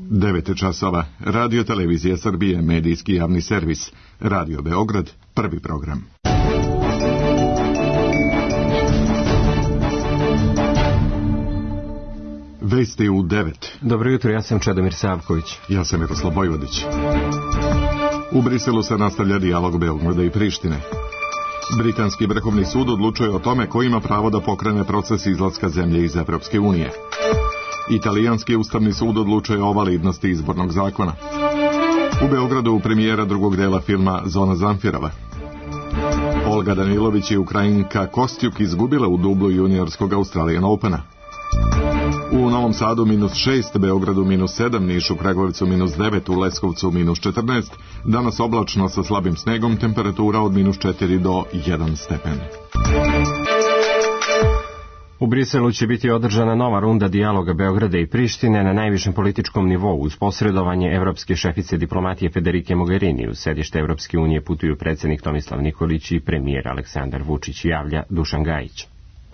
9 časova. Radio Televizija Srbije, medijski javni servis. Radio Beograd, prvi program. Vesti u 9. Dobro jutro, ja sam Čedomir Savković. Ja sam Miroslav Vojvodić. U Briselu se nastavlja dijalog Beograda i Prištine. Britanski vrhovni sud odlučuje o tome ko ima pravo da pokrene proces izlaska zemlje iz Evropske unije. Italijanski ustavni sud odlučuje o validnosti izbornog zakona. U Beogradu premijera drugog dela filma Zona Zamfirova. Olga Danilović i Ukrajinka Kostjuk izgubila u dublu juniorskog Australian Opena. U Novom Sadu -6, Beogradu -7, Nišu, Kragujevcu -9, u Leskovcu -14, danas oblačno sa slabim snegom, temperatura od -4 do 1 stepen. U Briselu će biti održana nova runda dijaloga Beograda i Prištine na najvišem političkom nivou uz posredovanje evropske šefice diplomatije Federike Mogherini. U sedište Evropske unije putuju predsjednik Tomislav Nikolić i premijer Aleksandar Vučić, javlja Dušan Gajić.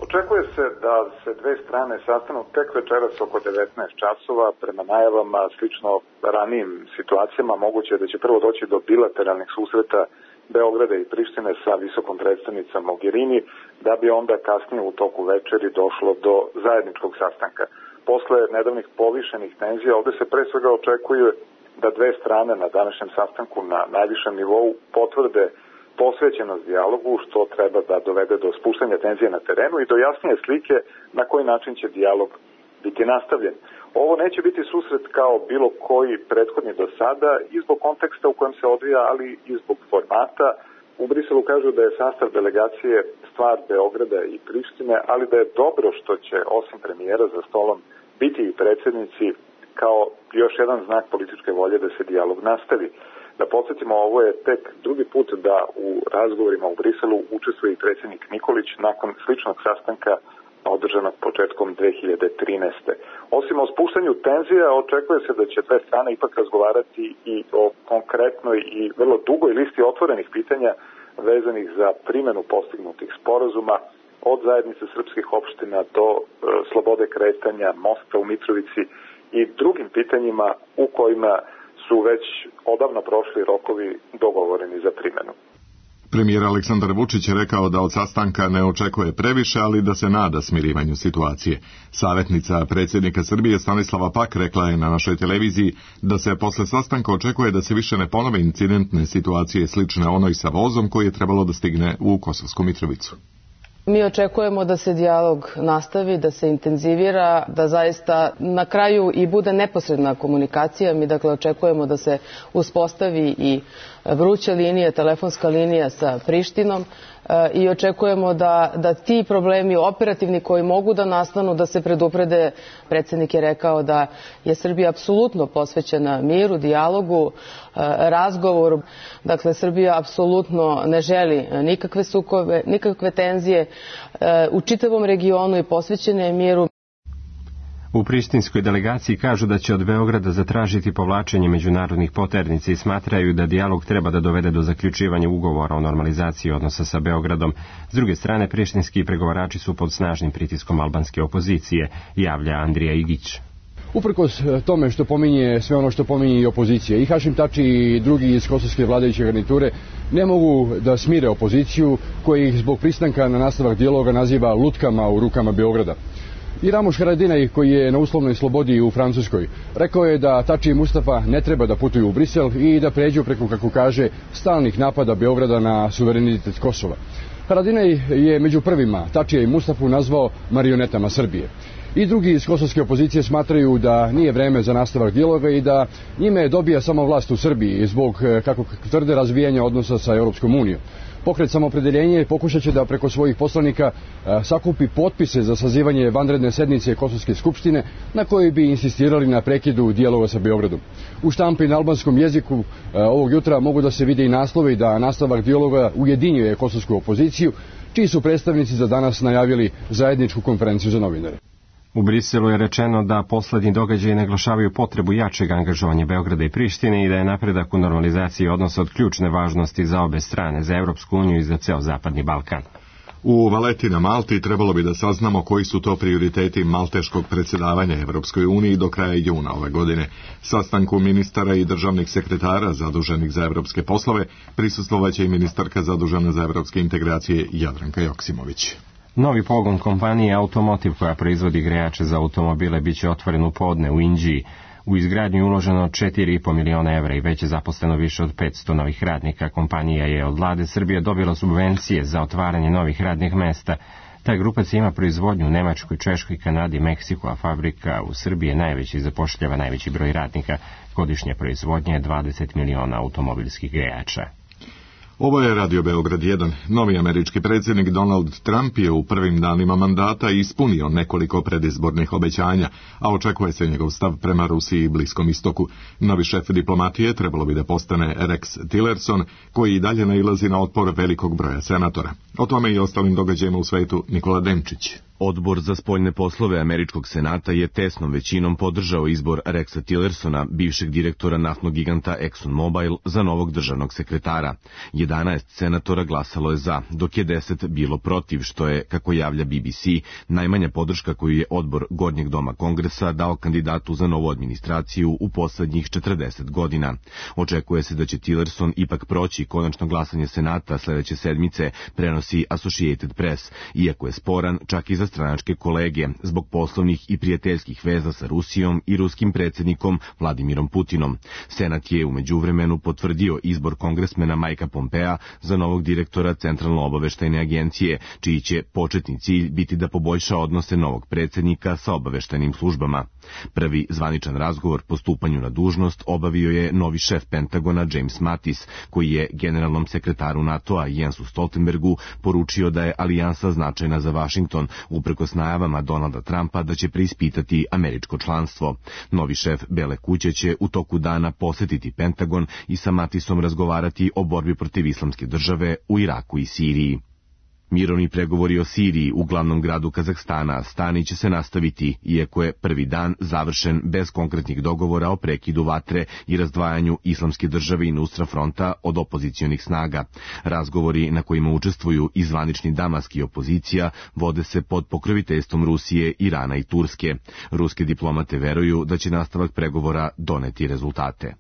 Očekuje se da se dve strane sastanu tek večeras oko 19 časova. Prema najavama, slično ranijim situacijama, moguće je da će prvo doći do bilateralnih susreta Beograda i Prištine sa visokom predstavnicom Mogherini, da bi onda kasnije u toku večeri došlo do zajedničkog sastanka. Posle nedavnih povišenih tenzija, ovde se pre svega očekuje da dve strane na današnjem sastanku na najvišem nivou potvrde posvećenost dijalogu, što treba da dovede do spuštanja tenzije na terenu i do jasnije slike na koji način će dijalog biti nastavljen. Ovo neće biti susret kao bilo koji prethodni do sada i zbog konteksta u kojem se odvija, ali i zbog formata. U Briselu kažu da je sastav delegacije stvar Beograda i Prištine, ali da je dobro što će osim premijera za stolom biti i predsjednici kao još jedan znak političke volje da se dijalog nastavi. Da podsjetimo, ovo je tek drugi put da u razgovorima u Briselu učestvuje i predsjednik Nikolić nakon sličnog sastanka održanog početkom 2013. Osim o spuštanju tenzija, očekuje se da će dve strane ipak razgovarati i o konkretnoj i vrlo dugoj listi otvorenih pitanja vezanih za primjenu postignutih sporazuma, od zajednice srpskih opština do slobode kretanja, mosta u Mitrovici i drugim pitanjima u kojima su već odavno prošli rokovi dogovoreni za primjenu. Premijer Aleksandar Vučić je rekao da od sastanka ne očekuje previše, ali da se nada smirivanju situacije. Savjetnica predsjednika Srbije Stanislava Pak rekla je na našoj televiziji da se posle sastanka očekuje da se više ne ponove incidentne situacije slične onoj sa vozom koji je trebalo da stigne u Kosovsku Mitrovicu. Mi očekujemo da se dijalog nastavi, da se intenzivira, da zaista na kraju i bude neposredna komunikacija. Mi dakle očekujemo da se uspostavi i vruća linija, telefonska linija sa Prištinom i očekujemo da ti problemi operativni koji mogu da nastanu, da se preduprede. Predsjednik je rekao da je Srbija apsolutno posvećena miru, dijalogu, razgovoru. Dakle, Srbija apsolutno ne želi nikakve sukobe, nikakve tenzije u čitavom regionu i posvećena je miru. U prištinskoj delegaciji kažu da će od Beograda zatražiti povlačenje međunarodnih poternica i smatraju da dijalog treba da dovede do zaključivanja ugovora o normalizaciji odnosa sa Beogradom. S druge strane, prištinski pregovarači su pod snažnim pritiskom albanske opozicije, javlja Andrija Igić. Uprkos tome što pominje sve ono što pominje i opozicija, i Hašim Tači i drugi iz kosovske vladajuće garniture ne mogu da smire opoziciju koji ih zbog pristanka na nastavak dijaloga naziva lutkama u rukama Beograda. I Ramuš Haradinaj, koji je na uslovnoj slobodi u Francuskoj, rekao je da Tači i Mustafa ne treba da putuju u Brisel i da pređu preko, kako kaže, stalnih napada Beograda na suverenitet Kosova. Haradinaj je među prvima Tačija i Mustafu nazvao marionetama Srbije. I drugi iz kosovske opozicije smatraju da nije vreme za nastavak dijaloga i da njime dobija samo vlast u Srbiji zbog, kako tvrde, razvijanja odnosa sa Europskom unijom. Pokret Samoopredeljenje pokušat će da preko svojih poslanika sakupi potpise za sazivanje vanredne sednice Kosovske skupštine na kojoj bi insistirali na prekidu dijaloga sa Beogradom. U štampi na albanskom jeziku ovog jutra mogu da se vide i naslovi da nastavak dijaloga ujedinjuje kosovsku opoziciju, čiji su predstavnici za danas najavili zajedničku konferenciju za novinare. U Briselu je rečeno da poslednji događaji naglašavaju potrebu jačeg angažovanja Beograda i Prištine i da je napredak u normalizaciji odnosa od ključne važnosti za obe strane, za Evropsku uniju i za ceo Zapadni Balkan. U Valeti na Malti trebalo bi da saznamo koji su to prioriteti malteškog predsjedavanja Evropskoj uniji do kraja juna ove godine. Sastanku ministara i državnih sekretara zaduženih za evropske poslove prisustvovaće i ministarka zadužena za evropske integracije Jadranka Joksimović. Novi pogon kompanije Automotive koja proizvodi grejače za automobile biće otvoren u podne u Inđiji. U izgradnju je uloženo 4,5 miliona evra i već je zaposleno više od 500 novih radnika. Kompanija je od vlade Srbije dobila subvencije za otvaranje novih radnih mesta. Ta grupac ima proizvodnju u Nemačkoj, Češkoj, Kanadi, Meksiku, a fabrika u Srbiji je najveći i zapošljava najveći broj radnika. Godišnja proizvodnja je 20 miliona automobilskih grejača. Ovo je Radio Beograd 1. Novi američki predsjednik Donald Trump je u prvim danima mandata ispunio nekoliko predizbornih obećanja, a očekuje se njegov stav prema Rusiji i Bliskom istoku. Novi šef diplomatije trebalo bi da postane Rex Tillerson, koji i dalje nailazi na otpor velikog broja senatora. O tome i ostalim događajima u svetu Nikola Denčić. Odbor za spoljne poslove Američkog senata je tesnom većinom podržao izbor Rexa Tillersona, bivšeg direktora naftnog giganta ExxonMobil, za novog državnog sekretara. 11 senatora glasalo je za, dok je 10 bilo protiv, što je, kako javlja BBC, najmanja podrška koju je odbor Gornjeg doma Kongresa dao kandidatu za novu administraciju u poslednjih 40 godina. Očekuje se da će Tillerson ipak proći konačno glasanje senata sledeće sedmice, prenosi Associated Press, iako je sporan čak i za stranačke kolege zbog poslovnih i prijateljskih veza sa Rusijom i ruskim predsjednikom Vladimirom Putinom. Senat je u međuvremenu potvrdio izbor kongresmena Mikea Pompea za novog direktora Centralno-obaveštajne agencije, čiji će početni cilj biti da poboljša odnose novog predsjednika sa obaveštajnim službama. Prvi zvaničan razgovor po stupanju na dužnost obavio je novi šef Pentagona James Mattis, koji je generalnom sekretaru NATO-a Jensu Stoltenbergu poručio da je alijansa značajna za Vašington, uprkos najavama Donalda Trumpa da će preispitati američko članstvo. Novi šef Bele kuće će u toku dana posetiti Pentagon i sa Mattisom razgovarati o borbi protiv islamske države u Iraku i Siriji. Mirovni pregovori o Siriji u glavnom gradu Kazahstana stani će se nastaviti, iako je prvi dan završen bez konkretnih dogovora o prekidu vatre i razdvajanju islamske države i Nusra fronta od opozicionih snaga. Razgovori na kojima učestvuju i zvanični Damask i opozicija vode se pod pokroviteljstvom Rusije, Irana i Turske. Ruske diplomate veruju da će nastavak pregovora doneti rezultate.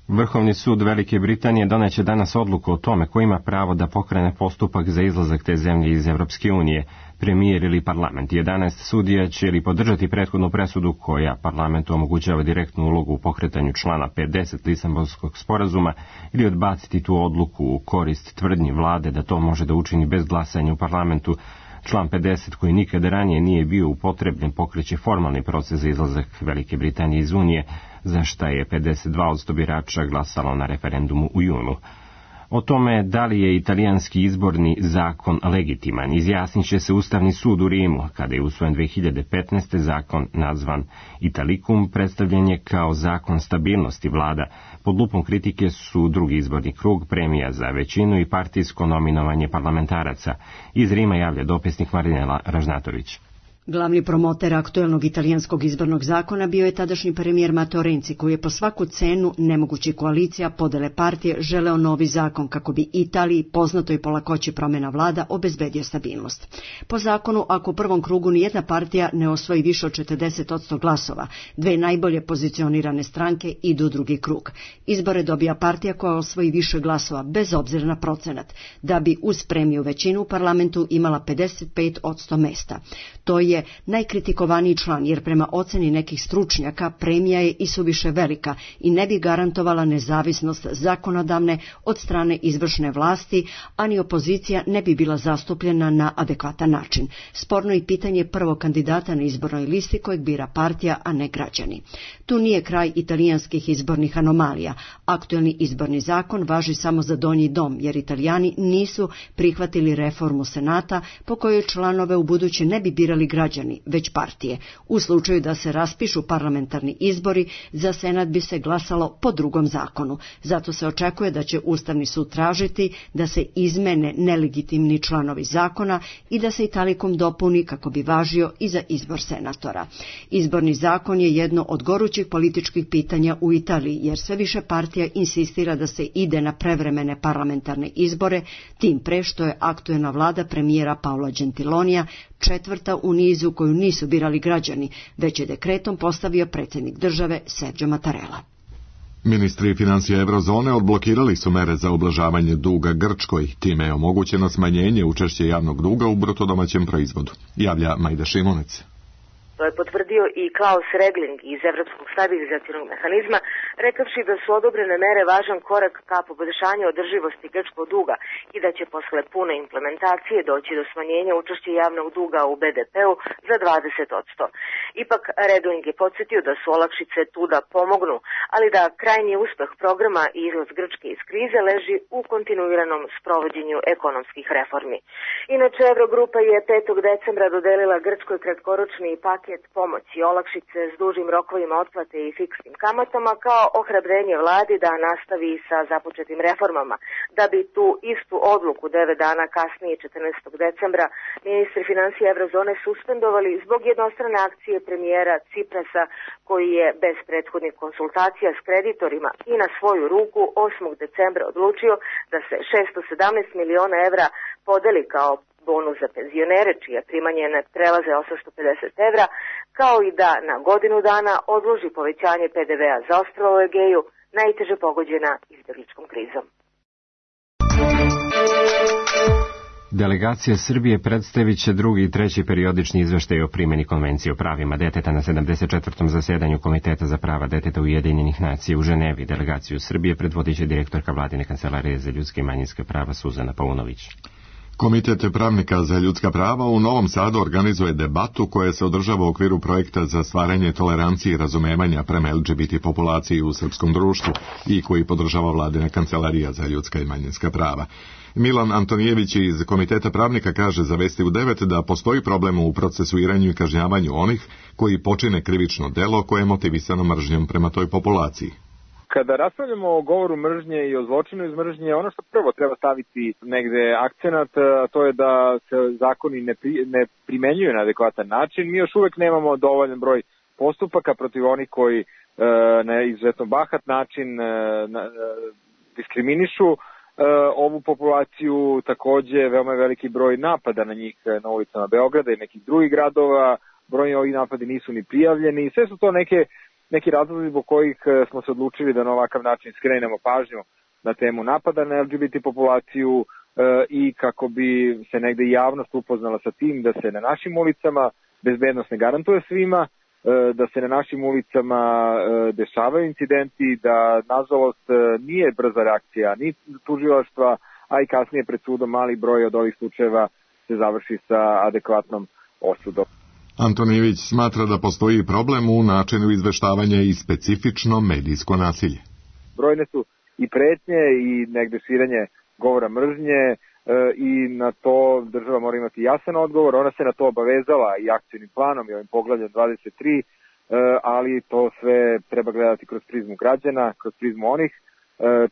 Vrhovni sud Velike Britanije doneće danas odluku o tome ko ima pravo da pokrene postupak za izlazak te zemlje iz Evropske unije, premijer ili parlament. 11 sudija će ili podržati prethodnu presudu koja parlamentu omogućava direktnu ulogu u pokretanju člana 50 Lisabonskog sporazuma ili odbaciti tu odluku u korist tvrdnji vlade da to može da učini bez glasanja u parlamentu. Član 50, koji nikada ranije nije bio upotrebljen, pokreće formalni proces za izlazak Velike Britanije iz Unije, za šta je 52% birača glasalo na referendumu u junu. O tome da li je italijanski izborni zakon legitiman izjasnit će se Ustavni sud u Rimu, kada je usvojen 2015. zakon nazvan Italicum, predstavljen je kao zakon stabilnosti vlada. Pod lupom kritike su drugi izborni krug, premija za većinu i partijsko nominovanje parlamentaraca. Iz Rima javlja dopisnik Marinela Ražnatović. Glavni promoter aktuelnog italijanskog izbornog zakona bio je tadašnji premijer Matteo Renzi, koji je po svaku cenu nemogućih koalicija, podele partije, želeo novi zakon kako bi Italiji, poznatoj po lakoći promjena vlada, obezbedio stabilnost. Po zakonu, ako u prvom krugu nijedna partija ne osvoji više od 40% glasova, dve najbolje pozicionirane stranke idu u drugi krug. Izbore dobija partija koja osvoji više glasova, bez obzira na procenat, da bi uz premiju većinu u parlamentu imala 55% mesta. To je najkritikovaniji član, jer prema oceni nekih stručnjaka premija je isuviše velika i ne bi garantovala nezavisnost zakonodavne od strane izvršne vlasti, a ni opozicija ne bi bila zastupljena na adekvatan način. Sporno i pitanje prvog kandidata na izbornoj listi kojeg bira partija, a ne građani. Tu nije kraj italijanskih izbornih anomalija. Aktuelni izborni zakon važi samo za donji dom, jer Italijani nisu prihvatili reformu Senata po kojoj članove u buduće ne bi birali građani građani, već partije. U slučaju da se raspišu parlamentarni izbori, za Senat bi se glasalo po drugom zakonu. Zato se očekuje da će Ustavni sud tražiti da se izmene nelegitimni članovi zakona i da se Italikum dopuni kako bi važio i za izbor senatora. Izborni zakon je jedno od gorućih političkih pitanja u Italiji, jer sve više partija insistira da se ide na prevremene parlamentarne izbore, tim pre što je aktuelna vlada premijera Paola Gentilonija četvrta u nizu koju nisu birali građani, već je dekretom postavio predsjednik države Sergio Mattarella. Ministri financija Eurozone odblokirali su mere za ublažavanje duga Grčkoj, time je omogućeno smanjenje učešća javnog duga u brutodomaćem proizvodu, javlja Majda Šimunec. To je potvrdio i Klaus Regling iz Evropskog stabilizacionog mehanizma, rekavši da su odobrene mere važan korak ka poboljšanju održivosti grčkog duga i da će posle pune implementacije doći do smanjenja učešća javnog duga u BDP-u za 20%. Ipak Regling je podsjetio da su olakšice tu da pomognu, ali da krajnji uspeh programa i izlaz Grčke iz krize leži u kontinuiranom sprovođenju ekonomskih reformi. Inače, Eurogrupa je 5. decembra dodelila Grčkoj kratkoročni paket pomoći, olakšice s dužim rokovima otplate i fiksnim kamatama kao ohrabrenje vladi da nastavi sa započetim reformama. Da bi tu istu odluku 9 dana kasnije, 14. decembra, ministri financija Eurozone suspendovali zbog jednostrane akcije premijera Ciprasa, koji je bez prethodnih konsultacija s kreditorima i na svoju ruku 8. decembra odlučio da se 617 miliona evra podeli kao bonus za penzionere, čije primanje ne prelaze 850 evra, kao i da na godinu dana odloži povećanje PDV-a za ostrva u Egeju, najteže pogođena izbjegličkom krizom. Delegacija Srbije predstavit će drugi i treći periodični izveštaj o primjeni Konvencije o pravima deteta na 74. zasedanju Komiteta za prava deteta Ujedinjenih nacija u Ženevi. Delegaciju Srbije predvodit će direktorka Vladine kancelarije za ljudska i manjinska prava Suzana Paunović. Komitet pravnika za ljudska prava u Novom Sadu organizuje debatu koja se održava u okviru projekta za stvaranje tolerancije i razumevanja prema LGBT populaciji u srpskom društvu i koji podržava Vladina kancelarija za ljudska i manjinska prava. Milan Antonijević iz Komiteta pravnika kaže za Vesti u 9 da postoji problem u procesuiranju i kažnjavanju onih koji počine krivično delo koje je motivisano mržnjom prema toj populaciji. Kada raspravljamo o govoru mržnje i o zločinu iz mržnje, ono što prvo treba staviti negde akcenat, to je da se zakoni ne primenjuju na adekvatan način. Mi još uvek nemamo dovoljan broj postupaka protiv onih koji na izuzetno bahat način diskriminišu ovu populaciju. Takođe, veoma je veliki broj napada na njih na ulicama Beograda i nekih drugih gradova. Brojni ovih napadi nisu ni prijavljeni. Sve su to neki razlozi zbog kojih smo se odlučili da na ovakav način skrenemo pažnju na temu napada na LGBT populaciju i kako bi se negde javnost upoznala sa tim da se na našim ulicama bezbednost ne garantuje svima, da se na našim ulicama dešavaju incidenti, da nažalost nije brza reakcija ni tužilaštva, a i kasnije pred sudom mali broj od ovih slučajeva se završi sa adekvatnom osudom. Antonijević smatra da postoji problem u načinu izveštavanja i specifično medijsko nasilje. Brojne su i pretnje i negde širenje govora mržnje i na to država mora imati jasan odgovor. Ona se na to obavezala i akcijnim planom i ovim poglavljem 23, ali to sve treba gledati kroz prizmu građana, kroz prizmu onih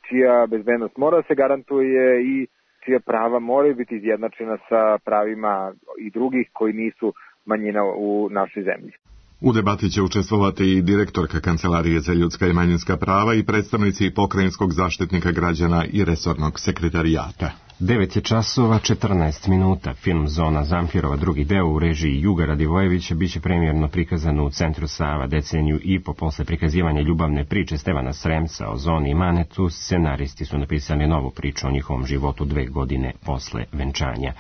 čija bezbednost mora da se garantuje i čija prava moraju biti izjednačena sa pravima i drugih koji nisu manjina u našoj zemlji. U debati će učestvovati i direktorka Kancelarije za ljudska i manjinska prava i predstavnici Pokrajinskog zaštitnika građana i resornog sekretarijata. 9 je časova 14 minuta. Film Zona Zamfirova drugi deo u režiji Juga Radivojevića biće premijerno prikazan u Centru Sava deceniju i po posle prikazivanja ljubavne priče Stevana Sremca o Zoni i Manetu. Scenaristi su napisali novu priču o njihovom životu 2 godine posle venčanja.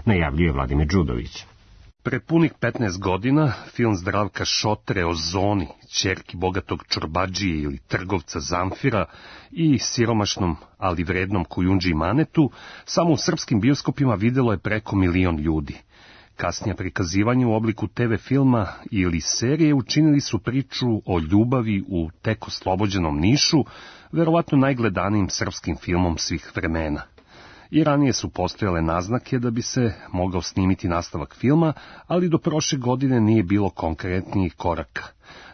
Najavljuje Vladimir Đudović. Pre punih 15 godina film Zdravka Šotre o Zoni, ćerki bogatog čorbadžije ili trgovca Zamfira i siromašnom, ali vrednom Kujundži Manetu, samo u srpskim bioskopima videlo je preko 1 milion ljudi. Kasnije prikazivanje u obliku TV filma ili serije učinili su priču o ljubavi u tek oslobođenom Nišu, verovatno najgledanijim srpskim filmom svih vremena. I ranije su postojale naznake da bi se mogao snimiti nastavak filma, ali do prošle godine nije bilo konkretnijih koraka.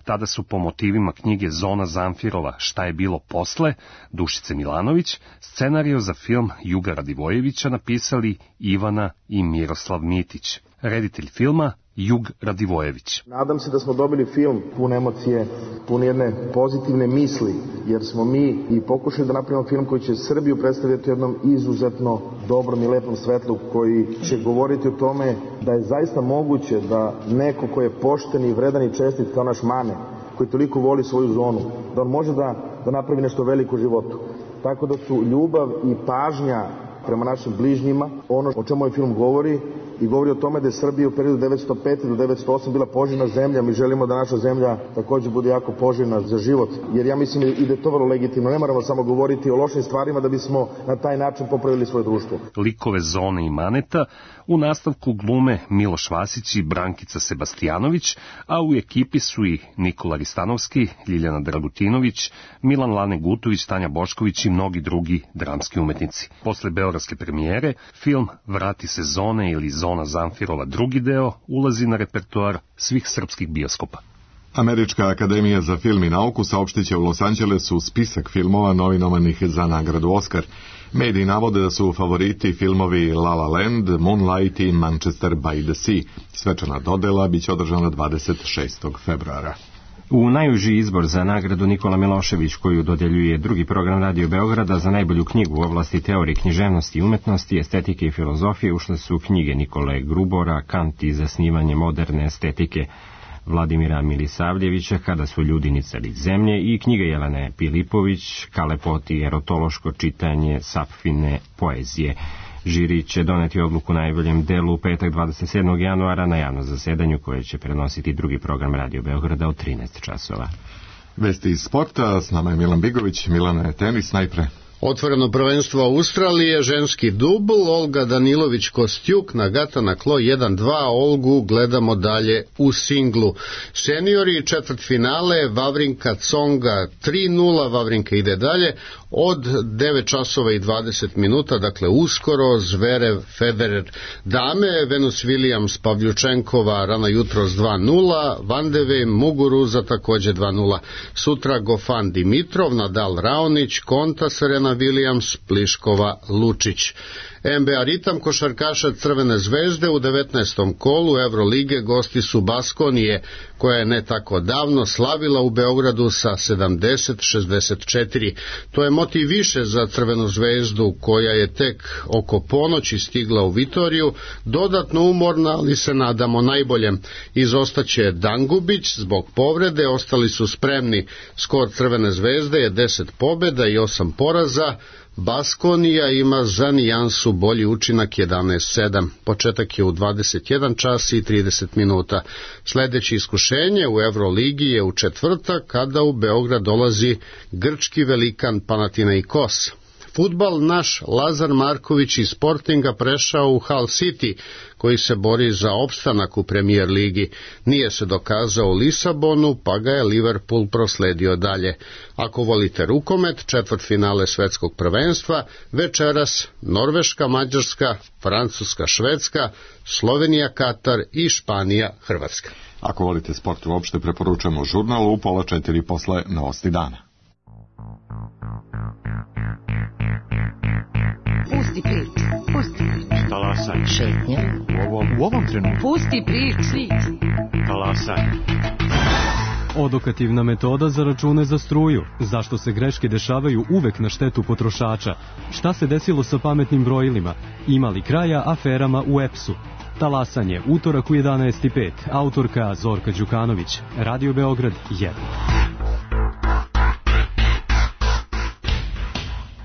Tada su po motivima knjige Zona Zamfirova Šta je bilo posle, Dušice Milanović, scenario za film Juga Radivojevića napisali Ivana i Miroslav Mitić. Reditelj filma Jug Radivojević. Nadam se da smo dobili film pun emocije, pun jedne pozitivne misli, jer smo mi i pokušali da napravimo film koji će Srbiju predstavljati u jednom izuzetno dobrom i lepom svetlu, koji će govoriti o tome da je zaista moguće da neko ko je pošten i vredan i čestit kao naš Mane, koji toliko voli svoju zonu, da on može da napravi nešto veliko u životu. Tako da su ljubav i pažnja prema našim bližnjima ono o čemu ovaj film govori, i govori o tome da je Srbija u periodu 1905. do 1908. bila poželjna zemlja. Mi želimo da naša zemlja također bude jako poželjna za život, jer ja mislim i da je to vrlo legitimno. Ne moramo samo govoriti o lošim stvarima da bismo na taj način popravili svoje društvo. Likove Zone i Maneta u nastavku glume Miloš Vasić i Brankica Sebastijanović, a u ekipi su i Nikola Ristanovski, Ljiljana Dragutinović, Milan Lane Gutović, Tanja Bošković i mnogi drugi dramski umetnici. Posle beogradske premijere, film Vrati se Zone ili Zona Zamfirova drugi deo ulazi na repertoar svih srpskih bioskopa. Američka akademija za film i nauku saopštiće u Los Angelesu spisak filmova nominovanih za nagradu Oskar. Mediji navode da su favoriti filmovi La La Land, Moonlight i Manchester by the Sea. Svečana dodela biće održana 26. februara. U najuži izbor za nagradu Nikola Milošević, koju dodeljuje drugi program Radio Beograda za najbolju knjigu u oblasti teorije književnosti i umetnosti, estetike i filozofije, ušle su knjige Nikole Grubora, Kant i zasnivanje moderne estetike, Vladimira Milisavljevića, Kada su ljudi nicali zemlje, i knjiga Jelene Pilipović, Kalepot i erotološko čitanje Sapfine poezije. Žiri će doneti odluku najboljem delu u petak 27. januara na javnom zasedanju koje će prenositi drugi program Radio Beograda od 13 časova. Vesti iz sporta, s nama je Milan Bigović. Milane, tenis najpre. Otvoreno prvenstvo Australije, ženski dubl, Olga Danilović-Kostjuk, Nagata na klo 1-2, Olgu gledamo dalje u singlu. Seniori, četvrtfinale, Vavrinka Tsonga 3-0, Vavrinka ide dalje, od 9 časova i 20 minuta, dakle uskoro, Zverev, Federer. Dame, Venus Williams, Pavljučenkova, rano jutros 2-0, Vandeve, Muguruza također 2-0. Sutra Gofan Dimitrov, Nadal Raonić, Konta, Serena Williams, Pliškova, Lučić. NBA ritam košarkaša Crvene zvezde u 19. kolu Evrolige gosti su Baskonije, koja je ne tako davno slavila u Beogradu sa 70-64. To je motiv više za Crvenu zvezdu, koja je tek oko ponoći stigla u Vitoriju, dodatno umorna, ali se nadamo najboljem. Izostaće Dangubić zbog povrede, ostali su spremni. Skor Crvene zvezde je 10 pobjeda i 8 poraza. Baskonija ima za nijansu bolji učinak 11-7. Početak je u 21 čas i 30 minuta. Sljedeće iskušenje u Evroligi je u četvrtak, kada u Beograd dolazi grčki velikan Panathinaikos. Fudbal, naš Lazar Marković iz Sportinga prešao u Hull City, koji se bori za opstanak u Premier ligi. Nije se dokazao u Lisabonu, pa ga je Liverpool prosledio dalje. Ako volite rukomet, četvrtfinale svetskog prvenstva, večeras Norveška, Mađarska, Francuska, Švedska, Slovenija, Katar i Španija, Hrvatska. Ako volite sport uopšte, preporučujemo žurnal u 3:30 posle novosti dana. Pusti priču, pusti priču. Talasaj. Šetnja. U ovom trenutku. Pusti priču. Talasaj. Odokativna metoda za račune za struju. Zašto se greške dešavaju uvek na štetu potrošača? Šta se desilo sa pametnim brojilima? Ima li kraja aferama u EPS-u? Talasanje, utorak u 11:05. Autorka Zorka Đukanović. Radio Beograd 1.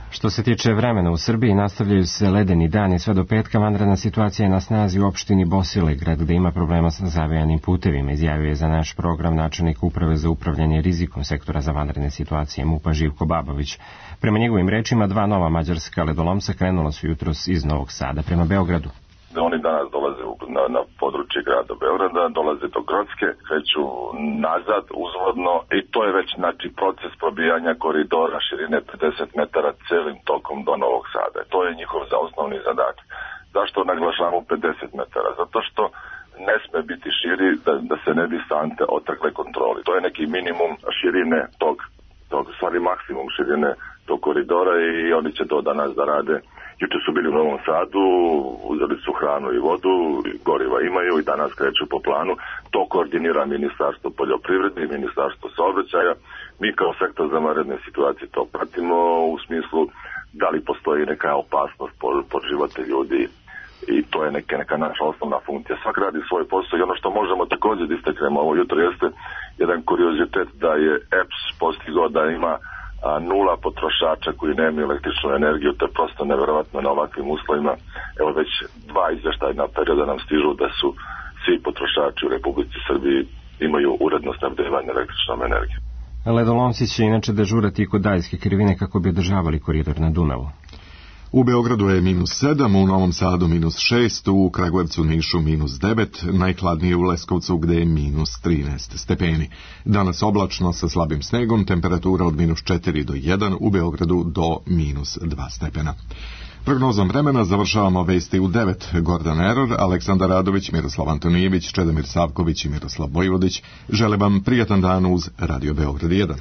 Što se tiče vremena u Srbiji, nastavljaju se ledeni dani sve do petka. Vanredna situacija je na snazi u opštini Bosilegrad, gde ima problema sa zavejanim putevima, izjavio je za naš program načelnik Uprave za upravljanje rizikom sektora za vanredne situacije MUP-a Živko Babović. Prema njegovim rečima, 2 nova mađarska ledolomca krenula su jutros iz Novog Sada prema Beogradu. Oni danas dolaze na područje grada Beograda, dolaze do Grocke, kreću nazad uzvodno i to je već proces probijanja koridora širine 50 metara celim tokom do Novog Sada. To je njihov osnovni zadatak. Zašto naglašavamo 50 metara? Zato što ne sme biti širi da se ne bi sante otrgle kontroli. To je neki minimum širine tog stvari maksimum širine tog koridora i oni će to danas da rade. Juče su bili u Novom Sadu, uzeli su hranu i vodu, goriva imaju i danas kreću po planu. To koordinira Ministarstvo poljoprivrede i Ministarstvo saobraćaja. Mi kao sektor za vanredne situacije to pratimo u smislu da li postoji neka opasnost po živote ljudi i to je neka naša osnovna funkcija. Svak radi svoj posao i ono što možemo također da istaknemo ovo jutro jeste jedan kuriozitet da je EPS postigao da ima nula potrošača koji nemaju električnu energiju, to je prosto neverovatno na ovakvim uslovima. Evo već 2 izvještajna perioda nam stižu da su svi potrošači u Republici Srbiji imaju uredno snabdevanje električnom energijom. Ledolomci će inače dežurati kod Dajske krivine kako bi održavali koridor na Dunavu. U Beogradu je -7, u Novom Sadu -6, u Kragujevcu, Nišu -9, najhladnije u Leskovcu gde je -13 stepeni. Danas oblačno sa slabim snegom, temperatura od -4 do 1, u Beogradu do -2 stepena. Prognozom vremena završavamo vesti u 9. Gordan Eror, Aleksandar Radović, Miroslav Antonijević, Čedomir Savković i Miroslav Vojvodić. Žele vam prijatan dan uz Radio Beograd 1.